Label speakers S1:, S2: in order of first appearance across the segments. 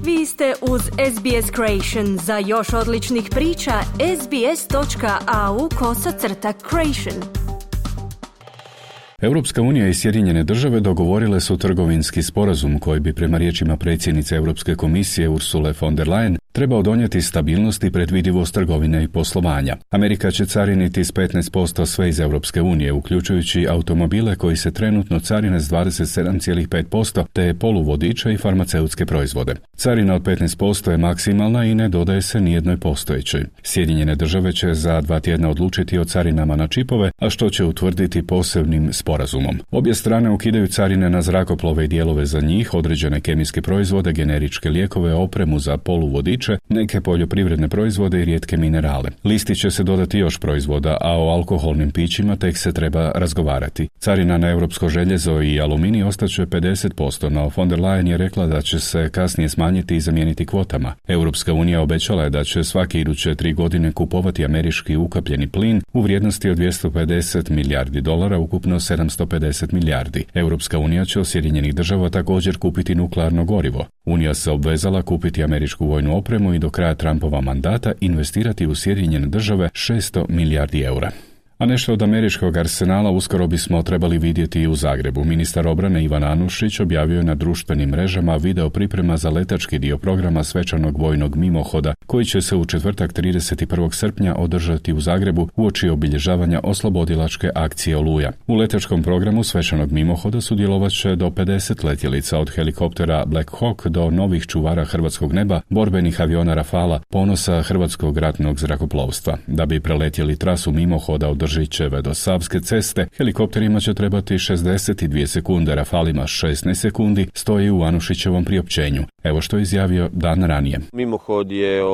S1: Vi ste uz SBS Creation. Za još odličnih priča, sbs.au/creation.
S2: Europska unija i Sjedinjene države dogovorile su trgovinski sporazum koji bi, prema riječima predsjednice Europske komisije Ursule von der Leyen, trebao donijeti stabilnost i predvidivost trgovine i poslovanja. Amerika će cariniti s 15% sve iz Europske unije, uključujući automobile koji se trenutno carine s 27,5%, te poluvodiče i farmaceutske proizvode. Carina od 15% je maksimalna i ne dodaje se nijednoj postojećoj. Sjedinjene države će za 2 tjedna odlučiti o carinama na čipove, a što će utvrditi posebnim sporazumom. Obje strane ukidaju carine na zrakoplove i dijelove za njih, određene kemijske proizvode, generičke lijekove, opremu za poluvodiče, neke poljoprivredne proizvode i rijetke minerale. Listi će se dodati još proizvoda, a o alkoholnim pićima tek se treba razgovarati. Carina na europsko željezo i aluminij ostaće 50%, no von der Leyen je rekla da će se kasnije smanjiti i zamijeniti kvotama. Europska unija obećala je da će svake iduće 3 godine kupovati američki ukapljeni plin u vrijednosti od $250 milijardi, ukupno 750 milijardi. Europska unija će od Sjedinjenih država također kupiti nuklearno gorivo. Unija se obvezala kupiti američku vojnu opremu i do kraja Trumpova mandata investirati u Sjedinjene države $600 milijardi. A nešto od američkog arsenala uskoro bismo trebali vidjeti i u Zagrebu. Ministar obrane Ivan Anušić objavio je na društvenim mrežama video priprema za letački dio programa svečanog vojnog mimohoda, koji će se u četvrtak 31. srpnja održati u Zagrebu uoči obilježavanja oslobodilačke akcije Oluja. U letačkom programu svečanog mimohoda sudjelovat će do 50 letjelica, od helikoptera Black Hawk do novih čuvara hrvatskog neba, borbenih aviona Rafala, ponosa hrvatskog ratnog zrakoplovstva. Da bi preletjeli trasu mimohoda od Držićeve do Savske ceste, helikopterima će trebati 62 sekunde, Rafalima 16 sekundi, stoji u Anušićevom priopćenju. Evo što je izjavio dan ranije.
S3: Mimohod je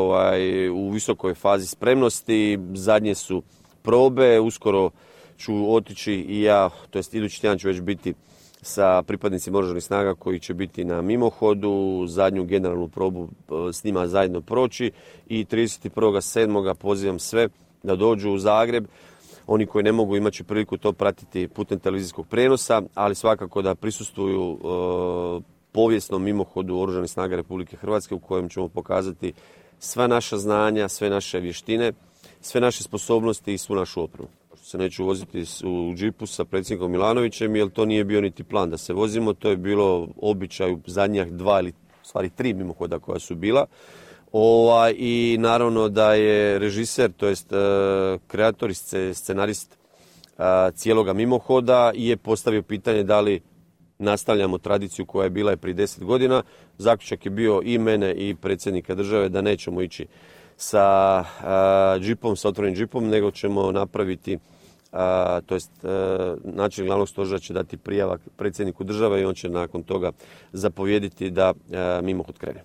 S3: u visokoj fazi spremnosti, zadnje su probe, uskoro ću otići i ja, to jest idući tjedan ću već biti sa pripadnicima oružanih snaga koji će biti na mimohodu, zadnju generalnu probu s njima zajedno proći i 31.7. pozivam sve da dođu u Zagreb. Oni koji ne mogu imat će priliku to pratiti putem televizijskog prijenosa, ali svakako da prisustvuju povijesnom mimohodu Oružanih snaga Republike Hrvatske u kojem ćemo pokazati sva naša znanja, sve naše vještine, sve naše sposobnosti i svu našu opremu. Se neću voziti u džipu sa predsjednikom Milanovićem, jer to nije bio niti plan da se vozimo, to je bilo običaj u zadnjih 2 ili stvari 3 mimohoda koja su bila. I naravno da je režiser, to jest kreator i scenarist cijeloga mimohoda je postavio pitanje da li nastavljamo tradiciju koja je bila i prije 10 godina. Zaključak je bio i mene i predsjednika države da nećemo ići sa džipom, sa otvorenim džipom, nego ćemo napraviti, to jest načelnik glavnog stožera će dati prijava predsjedniku države i on će nakon toga zapovjediti da mimohod krene.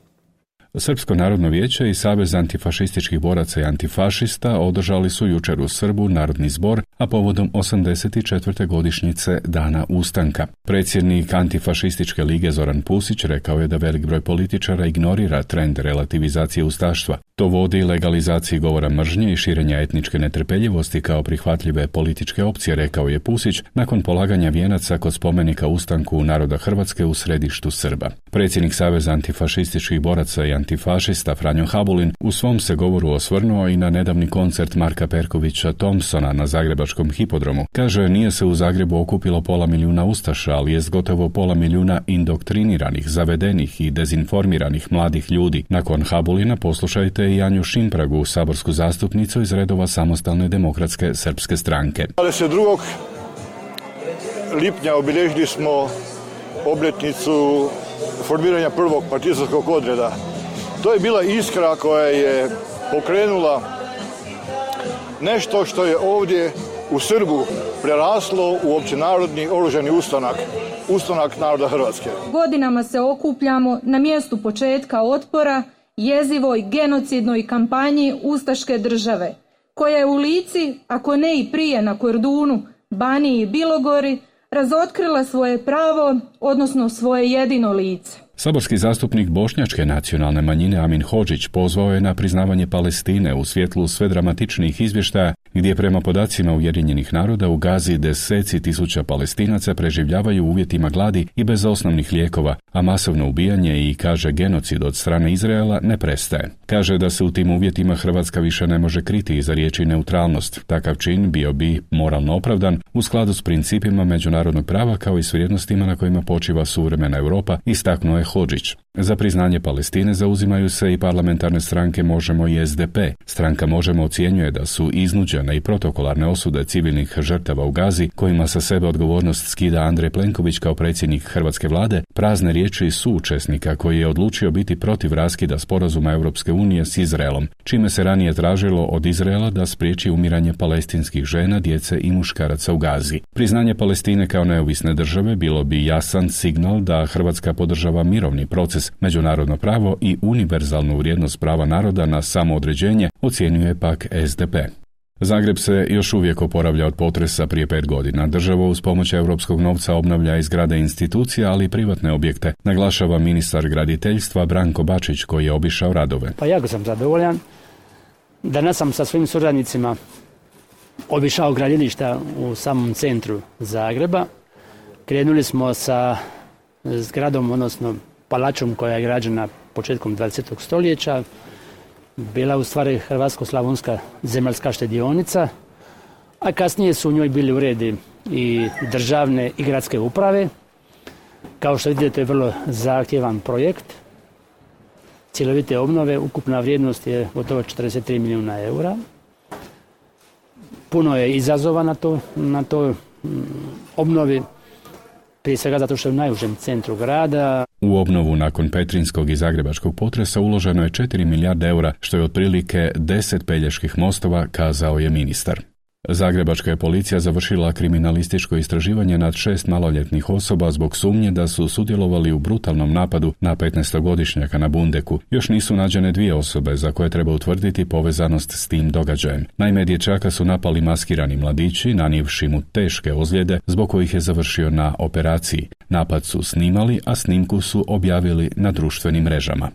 S2: Srpsko narodno vijeće i Savez antifašističkih boraca i antifašista održali su jučer u Srbu narodni zbor, a povodom 84. godišnjice Dana ustanka. Predsjednik Antifašističke lige Zoran Pusić rekao je da velik broj političara ignorira trend relativizacije ustaštva. To vodi legalizaciji govora mržnje i širenja etničke netrpeljivosti kao prihvatljive političke opcije, rekao je Pusić nakon polaganja vijenaca kod spomenika ustanku naroda Hrvatske u središtu Srba. Predsjednik Saveza antifašističkih boraca i antifašista Franjo Habulin u svom se govoru osvrnuo i na nedavni koncert Marka Perkovića Thompsona na zagrebačkom hipodromu. Kaže, nije se u Zagrebu okupilo 500.000 ustaša, ali jest gotovo 500.000 indoktriniranih, zavedenih i dezinformiranih mladih ljudi. Nakon Habulina poslušajte i Anju Šimpragu, saborsku zastupnicu iz redova Samostalne demokratske srpske stranke.
S4: 22. lipnja obilježili smo obljetnicu formiranja prvog partizanskog odreda. To je bila iskra koja je pokrenula nešto što je ovdje u Srbu preraslo u općenarodni oružani ustanak naroda Hrvatske.
S5: Godinama se okupljamo na mjestu početka otpora jezivoj genocidnoj kampanji ustaške države, koja je u Lici, ako ne i prije na Kordunu, Baniji i Bilogori, razotkrila svoje pravo, odnosno svoje jedino lice.
S2: Saborski zastupnik bošnjačke nacionalne manjine Amin Hodžić pozvao je na priznavanje Palestine u svjetlu sve dramatičnijih izvještaja gdje prema podacima Ujedinjenih naroda u Gazi deseci tisuća Palestinaca preživljavaju u uvjetima gladi i bez osnovnih lijekova, a masovno ubijanje i, kaže, genocid od strane Izraela ne prestaje. Kaže da se u tim uvjetima Hrvatska više ne može kriti iza riječi neutralnost. Takav čin bio bi moralno opravdan u skladu s principima međunarodnog prava kao i s vrijednostima na kojima počiva suvremena Europa, istaknuo je Hodžić. Za priznanje Palestine zauzimaju se i parlamentarne stranke Možemo i SDP. Stranka Možemo ocjenjuje da su iznuđene i protokolarne osude civilnih žrtava u Gazi, kojima sa sebe odgovornost skida Andrej Plenković kao predsjednik hrvatske vlade, prazne riječi suučesnika koji je odlučio biti protiv raskida sporazuma Europske unije s Izraelom, čime se ranije tražilo od Izraela da spriječi umiranje palestinskih žena, djece i muškaraca u Gazi. Priznanje Palestine kao neovisne države bilo bi jasan signal da Hrvatska podržava mirovni proces, međunarodno pravo i univerzalnu vrijednost prava naroda na samoodređenje, ocjenjuje pak SDP. Zagreb se još uvijek oporavlja od potresa prije 5 godina. Država uz pomoć europskog novca obnavlja i zgrade institucija, ali i privatne objekte, naglašava ministar graditeljstva Branko Bačić koji je obišao radove.
S6: Pa jako sam zadovoljan. Danas sam sa svojim suradnicima obišao gradilišta u samom centru Zagreba. Krenuli smo sa zgradom, odnosno palačom koja je građena početkom 20. stoljeća. Bila u stvari Hrvatsko-slavonska zemaljska štedionica, a kasnije su u njoj bili uredi i državne i gradske uprave. Kao što vidite, to je vrlo zahtjevan projekt. Cjelovite obnove, ukupna vrijednost je gotovo 43 milijuna eura. Puno je izazova na toj obnovi, prije svega zato što je u najužem centru grada.
S2: U obnovu nakon petrinskog i zagrebačkog potresa uloženo je 4 milijarde eura, što je otprilike 10 Peljeških mostova, kazao je ministar. Zagrebačka je policija završila kriminalističko istraživanje nad 6 maloljetnih osoba zbog sumnje da su sudjelovali u brutalnom napadu na 15-godišnjaka na Bundeku. Još nisu nađene 2 osobe za koje treba utvrditi povezanost s tim događajem. Naime, dječaka su napali maskirani mladići, nanijevši mu teške ozljede, zbog kojih je završio na operaciji. Napad su snimali, a snimku su objavili na društvenim mrežama.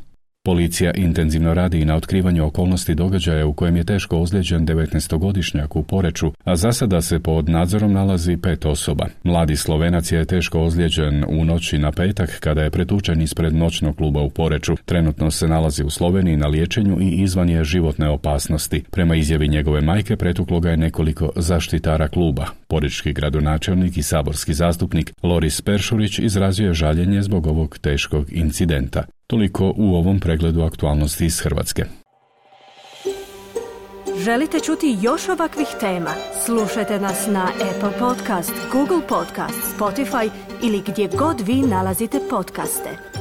S2: Policija intenzivno radi i na otkrivanju okolnosti događaja u kojem je teško ozlijeđen 19-godišnjak u Poreču, a za sada se pod nadzorom nalazi 5 osoba. Mladi Slovenac je teško ozlijeđen u noći na petak kada je pretučen ispred noćnog kluba u Poreču. Trenutno se nalazi u Sloveniji na liječenju i izvan je životne opasnosti. Prema izjavi njegove majke, pretuklo ga je nekoliko zaštitara kluba. Porečki gradonačelnik i saborski zastupnik Loris Peršurić izrazio je žaljenje zbog ovog teškog incidenta. Toliko u ovom pregledu aktualnosti iz Hrvatske.
S1: Želite čuti još ovakvih tema? Slušajte nas na Apple Podcast, Google Podcast, Spotify ili gdje god vi nalazite podcaste.